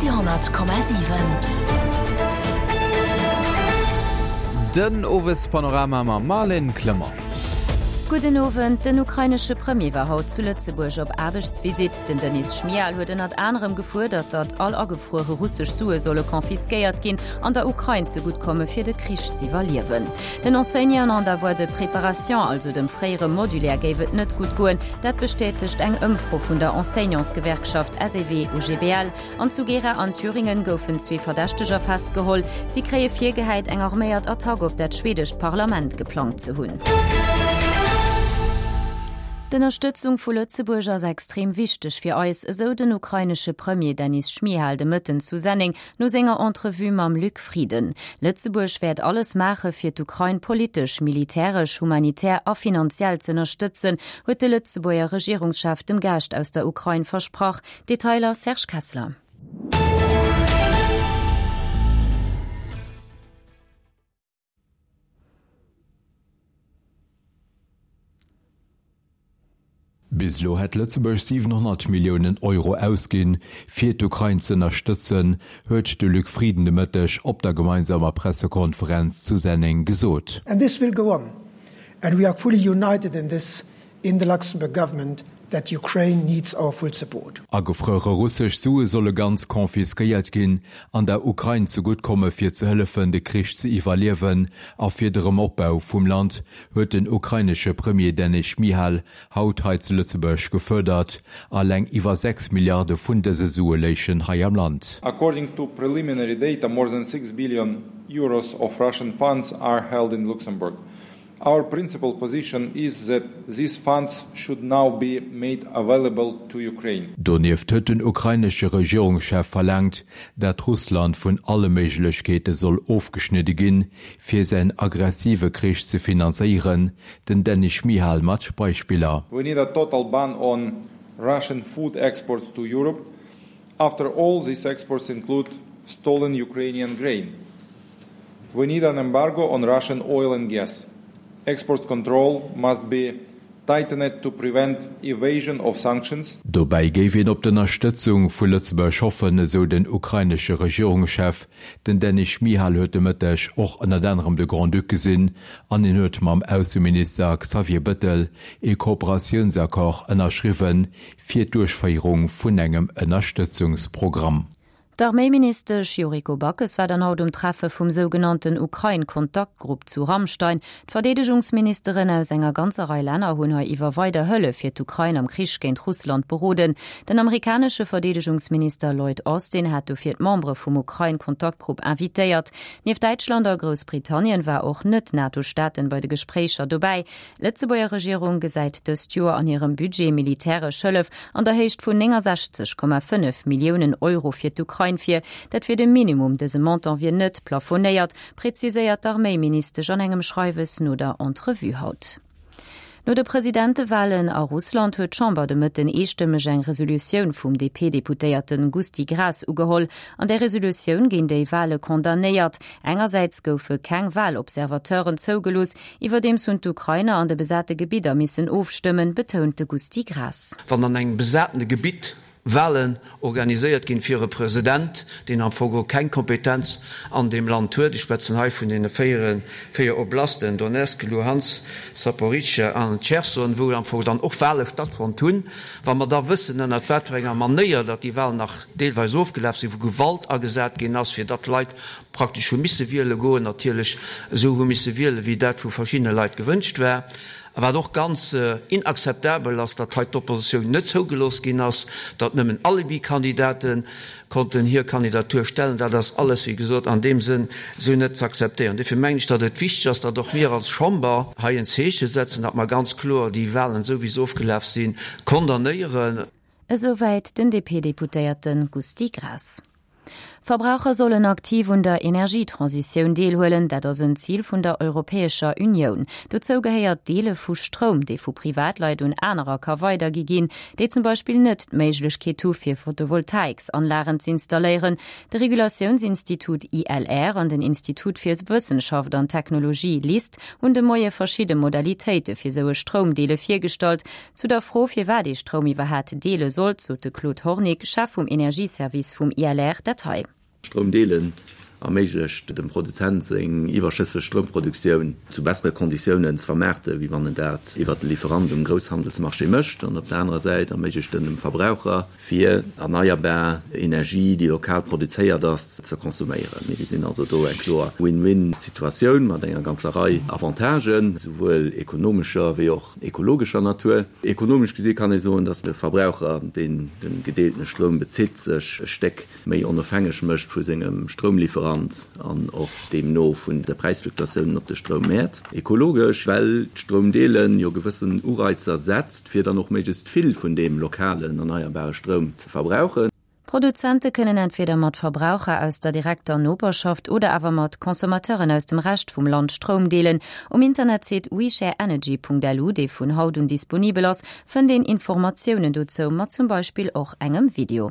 Radio 10,7. Den Owespanorama mam Marlène Clement. Gudden Owend. Den ukrainesche Premier war haut zu Lëtzebuerg op Aarbechtsvisitt. Den Denys Schmyhal huet ënnert anerem gefuerdert, datt all agefruere russesch Sue solle confisquéiert ginn an der Ukrain zegutt komme fir de Krich z'iwwerliewen. Den Enseignanten an der Voie de préparation, also dem fréiere Modulaire, géif et net gutt goen. Dat bestätegt eng Ëmfro vun der Enseignantsgewerkschaft SEW-OGBL. An zu Gera an Thüringen goufen zwee Verdächteger festgeholl. Si kréie virgehäit, eng arméiert Attack op dat schwedescht Parlament geplangt ze hunn. D'Ënnerstëtzung vu Lëtzebuerg ass extrem wichteg fir eis, esou den ukrainesche Premier Denys Schmyhal de Mëtten zu Senneng No senger Entrevue mam Luc Frieden. Lëtzebuerg wäert alles maache fir d'Ukrain politesch, militäresch, humanitär a finanziell z'ënnerstëtzen, huet de Lëtzebuerger Regierungschef dem Gaascht aus der Ukrain versprach. Detailer Serge Kessler. Bis elo hätt Lëtzebuerg 700 Milliounen Euro ausginn, fir d'Ukrain z'ënnerstëtzen, huet de Luc Frieden de Mëtteg op der gemeinsamer Pressekonferenz zu Senneng gesot. And this will go on, and we are fully united in this in the Luxembourg government that Ukraine needs our full support. Agefruere russesch Sue solle ganz confisquéiert ginn an der Ukrain zegutt komme fir ze hëllefen de Krich ze iwwerliewen a fir de Rëmopbau vum Land, huet den ukrainesche Premier Denys Schmyhal haut hei zu Lëtzebuerg gefuerdert. Alleng iwwer 6 Milliarde vun dëse Sue léichen hei am Land. According to preliminary data, more than 6 billion euros of Russian funds are held in Luxembourg. Our principal position is that these funds should now be made available to Ukraine. Donieft huet den ukrainesche Regierungschef verlaangt, dat Russland vun alle Méiglechkeete soll ofgeschnidde ginn, fir säin aggressive Krich ze finanzéieren. Den Denys Schmyhal mat Beispiller. We need a total ban on Russian food exports to Europe. After all, these exports include stolen Ukrainian grain. We need an embargo on Russian oil and gas. Export control must be tightened to prevent evasion of sanctions. Dobäi géif een op d'Ënnerstëtzung vu Lëtzebuerg hoffen, esou den ukrainesche Regierungschef. Den Denys Schmyhal huet de Mëtteg och ënnert anerem de Grand-Duc gesinn an hien huet mam Ausseminister Xavier Bëttel ee Kooperatiounsaccord ënnerschriwwen fir d'Duerchféierung vun engem Ënnerstëtzungsprogramm. D'Arméiministesch Yuriko Backes war dann haut um Treffe vum sougenannten Ukrain-Kontaktgrupp zu Ramstein. D'Verdeedegungsministeren aus enger ganzer Rei Länner hunn hei iwwer weider Hëllef fir d'Ukrain am Krich géint Russland beroden. Den amerikanesche Verdeedegungsminister Lloyd Austin hat dofir d'Membere vum Ukrain-Kontaktgrupp invitéiert. Nieft Däitschland a Groussbritannien war och Net-NATO-Staaten bei de Gespréicher dobäi. D'Lëtzebuerger Regierung gesäit dëst Joer an hirem Budget militäresch Hëllef an der Héicht vun 69,5 Milliounen Euro fir d'Ukrain vir. Dat wier de Minimum, dëse Montant wier net plafonéiert, preziséiert d'Arméiministesch an engem Schreiwes no der Entrevue haut. No de Presidentewalen a Russland huet d'Chamber de Mëtten eestëmmeg eng Resolutioun vum DP-Deputéierten Gusty Graas ugeholl. An där Resolutioun ginn déi Wale condamnéiert. Engersäits goufe keng Walobservateuren zougelooss, Iwwerdeems hunn d'Ukrainer an de besate Gebidder missen ofstëmmen, betount de Gusty Graas. Wann an engem besatene Gebitt Walen organiséiert ginn fir e President, deen am Fong och keng Kompetenz an deem Land huet, ech schwätzen hei vun deene véier Oblasten, Donezk, Luhansk, Saporizhzhia an Cherson, wou am Fong dann och Wale stattfonnt hunn, wa mer da wëssen, ënnert wat fir enger Manéier datt déi Walen nach deelweis ofgelaf sinn, wou Gewalt agesat ginn ass, fir datt d'Leit praktesch hu misse wiele goen, natierlech esou hu misse wielen, wéi dat vu verschiddene Leit gewënscht war. A wat och ganz inakzeptabel ass, datt hei d'Oppositioun net zougelooss ginn ass, datt nëmmen Alibi-Kandidate konnten hir Kandidatur stellen, dat ass alles, wéi gesot, an deem Sënn esou net z'akzeptéieren. Dofir mengen ech, datt et wichteg ass, datt och mir als Chamber hei en Zeeche setzen, datt mer ganz kloer déi Wahlen, esou wéi se ofgelaf sinn, condamnéieren. Esouwäit den DP-Deputéierte Gusty Graas. Verbraucher sollen aktiv un der Energietransitioun deelhuelen, dat ass en Zil vun der Europäescher Unioun. Dozou gehéiert d'Deele vu Stroum, dee vu Privatleit un anerer ka weidergi ginn, déi zum Beispill net d'Méiglechkeet hu fir Photovoltaiksanlagen z'installéieren. De Regulatiounsinstitut ILR an den Institut fir Wëssenschaft an Technologie LIST hunn de Moie verschidde Modalitéite fir sou e Stroumdeele virgestallt. Zu der Fro, firwat ee Stroum iwwerhaat deele sollt, sot de Claude Hornick, Chef vum Energieservice vum ILR, dat hei. Stroum deelen erméiglecht dem Produzent seng iwwerschësseg Stroumproduktioun zu bessere Konditiounen ze vermaarte wéi wann en dat iwwert de Lieferant um Grousshandelsmarché mécht an op der anerer Säit erméiglecht en dem Verbraucher, fir erneierbar Energie, déi lokal produzéiert ass, ze consomméieren. Mir gesinn also do eng kloer Win-win-Situatioun mat enger ganzer Rei Avantagen, souwuel ekonomescher wéi och ekologescher Natur. Ekonomesch gesi kann ee soen, dass de Verbraucher, deen de gedeeltene Stroum bezitt, sech e Stéck méi onofhängeg mécht vu sengem Stroumlieferant an och deemno vun de Präisfluktuatiounen op de Stroummäert. Ekologesch, well d'Stroumdeelen jo gewëssen Ureizer setzt, fir dann och méiglechst vill vun deem lokalen erneierbare Stroum ze verbrauchen. Produzente kënnen entweder mat Verbraucher aus der direkter Noperschaft oder awer mat Consommateuren aus dem Rescht vum Land Stroum deelen. Um Internetsite weshareenergy.lu, dee vun haut un disponibel ass, fënnt een Informatiounen dozou, mat zum Beispill och engem Video.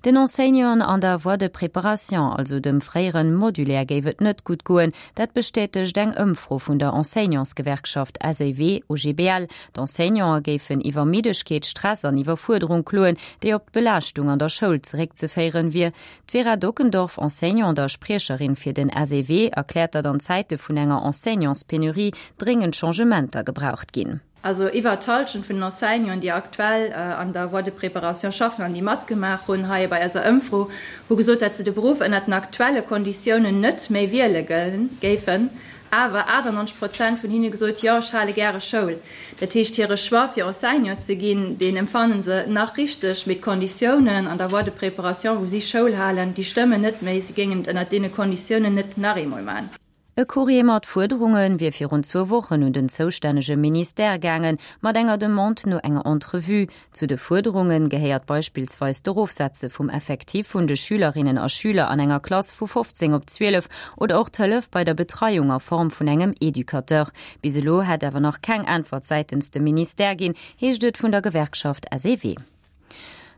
Den Enseignanten an der Voie de préparation, also dem fréieren Modulaire, géif et net gutt goen. Dat bestätegt eng Ëmfro vun der Enseignantsgewerkschaft SEW-OGBL. D'Enseignanten géifen iwwer Middegkeet, Stress an Iwwerfuerderung kloen, déi op d'Belaaschtung an der Schoul zeréckzeféieren wier. D'Vera Dockendorf, Enseignante a Spriecherin fir den SEW, erkläert, datt an Zäite vun enger Enseignantspenurie dréngend Changementer gebraucht ginn. Also iwwert d'Hallschent vun den Enseignanten, déi aktuell an der Voie de préparation schaffen an déi matgemaach hunn hei bei eiser Ëmfro, hu gesot, datt se de Beruff ënnert den aktuelle Konditiounen net méi wiele géifen. Awer 98 Prozent vun hinne gesot, Jo, ech hale gäre Schoul. Dat heescht, hire Choix fir Enseignant ze ginn, deen empfanne se nach richteg, mee d'Konditiounen an der Voie de préparation, wou si Schoul halen, déi stëmmen net méi. Si géingen et ënnert deene Konditiounen net nach eemol maachen. E Courrier mat Fuerderunge wier virun zwou Wochen un den zoustännege Ministère gaangen, mat enger Demande no enger Entrevue. Zu de Fuerderunge gehéiert beispillsweis d'Erofsetze vum Effectif vun de Schülerinnen a Schüler an enger Klass vu 15 op 12 oder och d'Hëllef bei der Betreiung a Form vun engem Educateur. Bis elo hätt awer nach keng Äntwert säitens dem Ministère ginn, heescht et vun der Gewerkschaft SEW.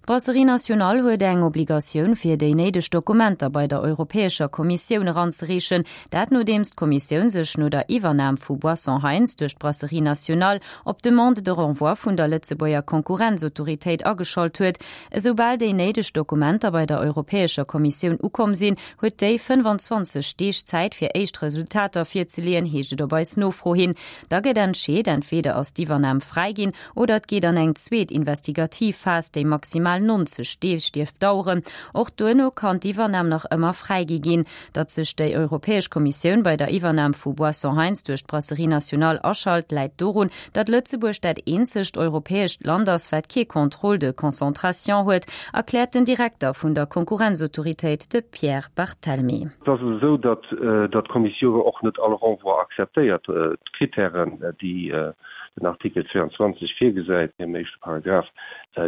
D'Brasserie Nationale huet eng Obligatioun fir déi néideg Dokumenter bei der Europäescher Kommissioun eranzereechen. Dat nodeems d'Kommissioun sech no der Iwwernam vu Boissons Heintz duerch d'Brasserie Nationale op d'Demande de renvoi vun der Lëtzebuerger Konkurrenzautoritéit ageschalt huet. Esoubal déi néideg Dokumenter bei der Europäescher Kommissioun ukomm sinn, huet déi 25 Deeg Zäit fir éischt Resultater virzeleeën, heescht et op eis Nofro hin. Da gëtt entscheet, entweder ass d'Iwwernam fräiginn Oder et geet an eng zweet investigativ Phas, déi maximal 90 Deeg dierf daueren. Och duerno kann d'Iwwernam nach ëmmer fräigi ginn. Datt sech déi Europäesch Kommissioun bei der Iwwernam vu Boissons Heintz duerch d'Brasserie Nationale aschalt, läit dorun, datt Lëtzebuerg dat eenzegt europäescht Land ass, wat kee Contrôle de concentration huet, erkläert den Direkter vun der Konkurrenzautoritéit, de Pierre Barthelmy. Et ass esou, datt d'Kommissioun och net all Renvoi akzeptéiert. D'Krittären, déi den Artikel 22 virgesäit, am éischte Paragraph,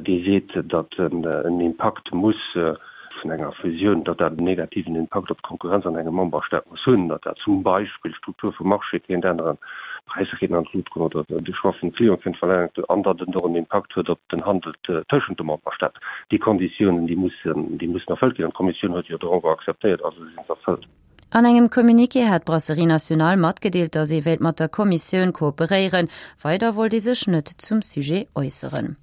dee seet, datt en Impakt muss vun enger Fusioun, datt dat en negativen Impakt op d'Konkurrenz an engem Memberstaat muss hunn, datt dat zum Beispill d'Struktur vum Marché kéint änneren, d'Präisser kéinten an d'Lut goen oder de Choix vum Client kéint verlaangt an datt en och en Impakt huet op den Handel tëschent de Memberstaaten. Déi Konditiounen, déi mussen, déi mussen erfëllt ginn an d'Kommissioun huet jo de Renvoi akzeptéiert, also si se erfëllt. An engem Communiqué hat d'Brasserie Nationale matgedeelt, datt ee wéilt mat der Kommissioun kooperéieren. Weider wollt ee sech net zum Sujet äusseren.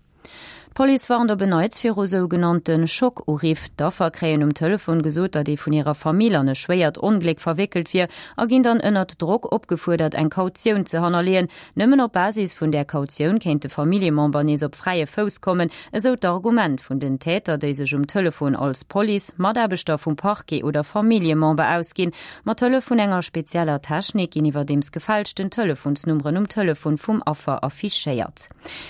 D'Police warnt op en Neits viru sougenannte Schock-Uriff. D'Affer kréien um Telefon gesot, datt ee vun hirer Famill an e schwéiert Ongléck verwéckelt wier a ginn dann ënnert Drock opgefuerdert, eng Kautioun ze hannerleeën. Nëmmen op Basis vun där Kautioun kéint de Familljemember nees op fräie Fouss kommen, esou d'Argument vun den Täter, déi sech um Telefon als Police, Mataarbechter vum Parquet oder Familljemember ausginn. Mat Hëllef vun enger spezieller Technik ginn iwwerdeems gefälschten Telefonsnummeren um Telefon vum Affer affichéiert.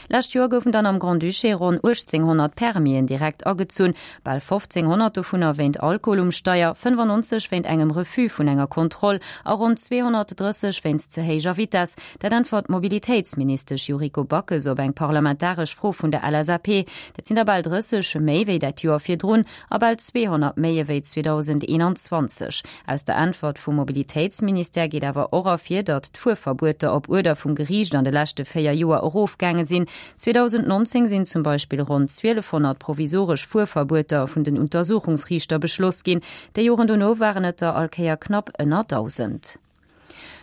Lescht Joer goufen dann am Grand-Duché ronn. ronn 1.800 Permisen direkt agezunn, bal 1.500 dovunner wéint Alkohol um Steier, 95 wéint engem Refus vun enger Kontroll a ronn 230 wéinst ze héijer Vitess. Dat äntwert d'Mobilitéitsministesch Yuriko Backes op eng parlamentaresch Fro vun der LSAP. Dat sinn der bal 30 méi wéi dat Joer virdrun a bal 200 méi ewéi 2021. Aus der Äntwert vum Mobilitéitsministère geet awer och ervir, datt d'Fuerverbueter op Uerder vum Geriicht an de leschte 4 Joer erofgaange sinn. 2019 sinn zum Beispill ronn 1.200 provisoresch Fuerverbueter vun den Untersuchungsriichter beschloss ginn. Déi Joren dono waren et der all Kéier knapp ënner 1.000.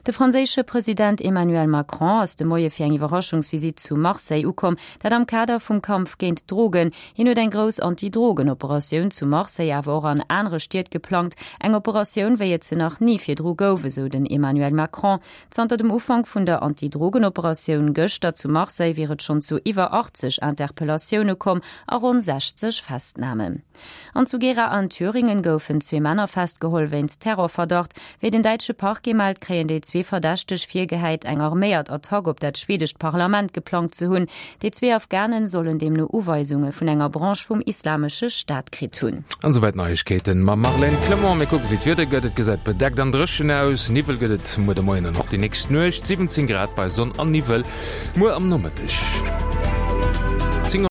De franséische President Emmanuel Macron ass de Moie fir eng Iwwerraschungsvisitt zu Marseille ukomm, dat am Kader vum Kampf géint d'Drogen. Hien huet eng grouss Anti-Drogen-Operatioun zu Marseille, awer och an anere Stied geplangt. Eng Operatioun, wéi et se nach ni virdru gouf, esou den Emmanuel Macron. Zanter dem Ufank vun der Anti-Drogen-Operatioun gëschter zu Marseille wier et schonn zu iwwer 80 Interpellatioune komm a ronn 60 Festnamen. An zu Gera an Thüringen goufen zwee Männer festgeholl wéinst Terrorverdacht. Wéi den däitsche Parquet mellt, kréien déi zwee Verdächteg virgehäit, eng arméiert Attack op dat schwedescht Parlament geplangt ze hunn. Déi zwee Afghanen sollen deemno Uweisunge vun enger Branche vum Islamesche Staat kritt hunn. An esouwäit d'Neiegkeeten mam Marlène Clement. Mir kucken, wéi d'Wieder gëtt. Et gesäit bedeckt an dréchen aus. Niwwel gëtt et muer de Moien an och déi nächst Nuecht. 17 Grad bei Sonn an Niwwel muer am Nomëtteg.